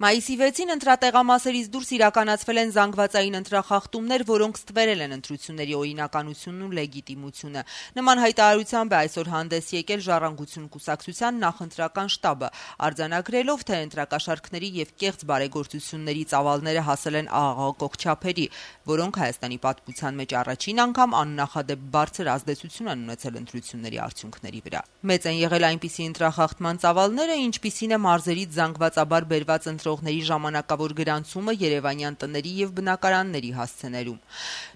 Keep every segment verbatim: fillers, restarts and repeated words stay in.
Մայիսի վեցին ընտրատեղամասերից դուրս իրականացվել են զանգվածային ընտրախախտումներ, որոնք ստվերել են ընտրությունների օրինականությունն ու լեգիտիմությունը։ Նման հայտարարությամբ է այսօր հանդես եկել Ժառանգություն կուսակցության նախընտրական շտաբը, արձանագրելով, թե ընտրակաշառքների եւ կեղծ բարեգործությունների ծավալները հասել են աղաղակող չափերի, որոնք Հայաստանի պատմության մեջ առաջին անգամ աննախադեպ բարձր ազդեցություն են ունեցել ընտրությունների արդյունքների վրա։ Մեծ են եղել այնպիսի ընտրախախտման ծավալները, ինչպիսին է մարզերից զանգվածաբար բերված ընտրողների ժամանակավոր գրանցումը երևանյան տների եւ բնակարանների հասցեներում։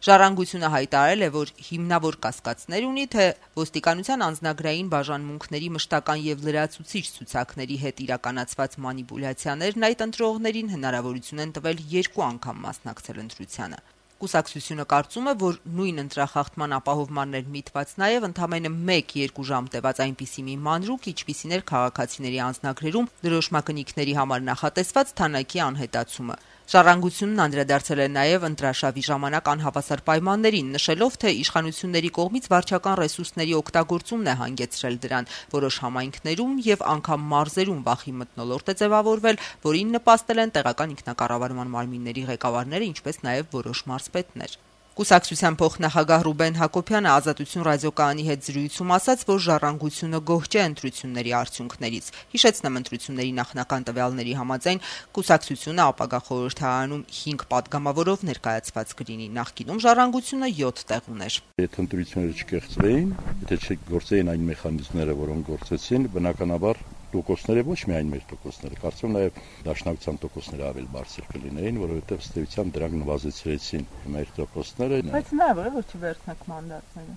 Ժառանգությունը հայտարարել է, որ հիմնավոր կասկածներ ունի, թե ոստիկանության անձնագրային բաժանմունքների մշտական եւ լրացուցիչ ցուցակների հետ իրականացված մանիպուլյացիաներն այդ ընտրողներին հնարավորություն են տվել երկու անգամ մասնակցել ընտրությանը։ Կուսակցությունը կարծում է, որ նույն ընտրախախտման ապահովմանն էր միտված նաև ընդամենը մեկ-երկու ժամ տևած այնպիսի մի մանրուք, ինչպիսին էր քաղաքացիների անձնագրերում դրոշմակնիկների համար նախատեսված թանաքի անհետացումը։ Ժառանգությունն անդրադարձել է նաև ընտրաշավի ժամանակ անհավասար պայմաններին, նշելով, թե իշխանությունների կողմից վարչական ռեսուրսների օգտագործումն է հանգեցրել դրան, որոշ համայնքներում եւ անգամ մարզերում վախի մթնոլորտ է ձևավորվել, որին նպաստել են տեղական ինքնակառավարման մարմինների ղեկավարները, ինչպես նաև որոշ մարզպետներ։ Կուսակցության փոխնախագահ Ռուբեն Հակոբյանը Ազատություն ռադիոկայանի հետ զրույցում ասաց, որ Ժառանգությունը գոհ չէ ընտրությունների արդյունքներից։ Հիշեցնեմ, ընտրությունների նախնական տվյալների համաձայն կուսակցությունը ապագա խորհրդարանում հինգ պատգամավորով ներկայացված կլինի, նախկինում Ժառանգությունը յոթ տեղ ուներ։ Եթե ընտրությունները չկեղծվեին, եթե չգործեին այն մեխանիզմները, որոնք գործեցին, բնականաբար տոկոսները ոչ միայն մեր տոկոսները, կարծում նաև դաշնակցության տոկոսները ավելի բարձր կլինեին, որովհետև ըստ էության դրանք նվազեցրեցին մեր տոկոսները։ Բայց նաև է, որ չվերցնեք մանդատները։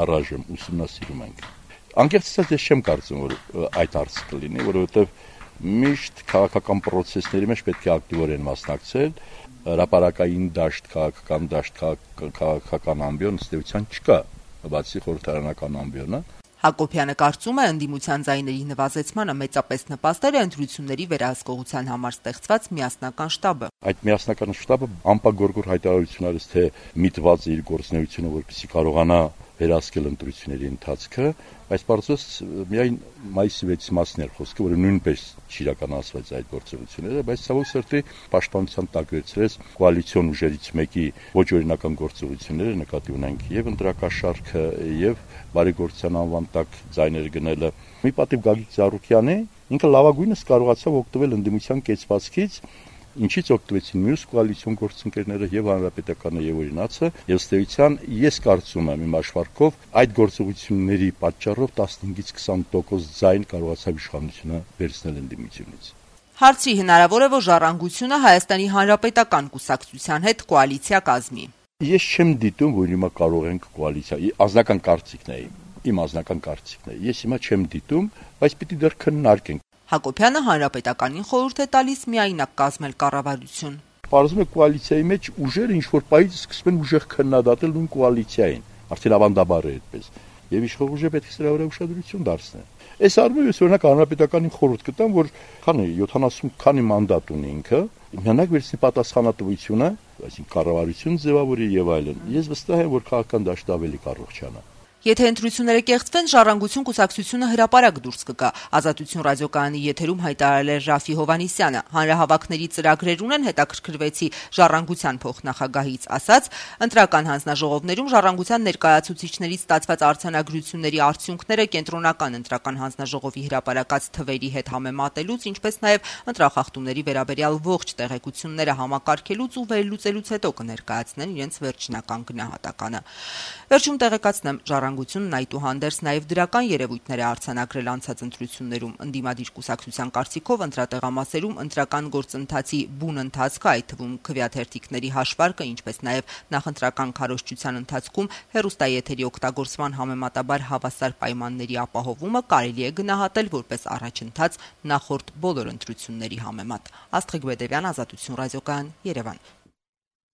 Առայժմ ուսումնասիրում ենք։ Անկեղծ ասած, ես չեմ կարծում, որ այդ հարցը կլինի, որովհետև միշտ քաղաքական process-ների մեջ պետք է ակտիվորեն մասնակցել, հրապարակային դաշտ, քաղաքական դաշտ, քաղաքական ամբիոն ըստ էության չկա, բացի խորհրդարանական ամբիոնը։ Հակոբյանը կարծում է, ընդդիմության ձայների նվազեցմանը մեծապես նպաստել է ընտրությունների վերահսկողության համար ստեղծված միասնական շտաբը։ Այդ միասնական շտաբը անպագորգոր հայտարարություն արեց, թե միտված է իր գործունեությունը, որպեսզի կարողանա վերահսկել ընտրությունների ընթացքը, բայց պարզվեց միայն մայիսի վեցի մասն էր խոսքը, որը նույնպես չիրականացվեց այդ գործողությունները, բայց ցավոք սրտի պաշտպանության տակ վերցրեց կոալիցիոն ուժերից մեկի ոչ օրինական գործողությունները, նկատի ունենք եւ ընտրակաշառքը եւ բարեգործության անվան տակ ձայներ գնելը։ Մի պատիվ Գագիկ Ծառուկյանի ինքը լավագույնս կարողացավ օգտվել ընդդիմության կեցվածքից, ինչից օգտվեցին մյուս կոալիցիոն գործընկերները եւ հանրապետականը եւ օրինացը, եւ ըստ էության ես կարծում եմ իմ աշխարհքով այդ գործողությունների պատճառով տասնհինգից քսան տոկոս ձայն կարողացավ իշխանությունը վերցնել ընդդիմությունից։ Հարցի հնարավոր է, որ Ժառանգությունը Հայաստանի Հանրապետական կուսակցության հետ կոալիցիա կազմի։ Ես չեմ դիտում, որ հիմա կարող ենք կոալիցիա, անձնական կարծիքն է իմ, իմ անձնական կարծիքն է։ Ես հիմա չեմ դիտում, բայց պիտի դեռ քննարկենք։ Հակոբյանը Հանրապետականին խորհուրդ է տալիս միայնակ կազմել կառավարություն։ Պարզվում է կոալիցիայի մեջ ուժերը ինչ-որ պահից սկսում են ուժեղ քննադատել նույն կոալիցիային, արդեն ավանդաբար է այդպես, եւ իշխող ուժը պետք է սրա վրա ուշադրություն դարձնել։ Այս առումով ես օրինակ Հանրապետականին խորհուրդ կտամ, որ քանի յոթանասուն քանի մանդատ ունի ինքը, միանակ վերցնի պատասխանատվությունը, այսինքն կառավարություն ձևավորի եւ այլն։ Ես վստահ եմ, որ քաղաքական դաշտը ավելի կառողջանա։ Եթե ընտրությունները կեղծվեն, Ժառանգություն կուսակցությունը հրապարակ դուրս կգա։ Ազատություն ռադիոկայանի եթերում հայտարարել է Ռաֆի Հովհաննիսյանը։ Հանրահավաքների ծրագրեր ունեն, հետաքրքրվեցի Ժառանգության փոխնախագահից ասաց, ընտրական հանձնաժողովներում Ժառանգության ներկայացուցիչներից ստացված արձանագրությունների արդյունքները կենտրոնական ընտրական հանձնաժողովի հրապարակած թվերի հետ համեմատելուց, ինչպես նաև ընտրախախտումների վերաբերյալ ողջ տեղեկությունները համակարգելուց ու վերլուծելուց հետո կներկայացնեն իրենց վերջնական գնահատականը։ Վերջում տեղեկացնեմ, Ժառանգությունն այդուհանդերձ նաև դրական երևույթներ է արձանագրել անցած ընտրություններում։ Ընդդիմադիր կուսակցության կարծիքով ընտրատեղամասերում ընտրական գործընթացի բուն ընթացքը, այդ թվում քվեաթերթիկների հաշվարկը, ինչպես նաև նախընտրական քարոզչության ընթացքում հեռուստաեթերի օգտագործման համեմատաբար հավասար պայմանների ապահովումը կարելի է գնահատել որպես առաջընթաց նախորդ բոլոր ընտրությունների համեմատ։ Աստղիկ Բեդևյան, Ազատություն ռադիոկայան, Երևան։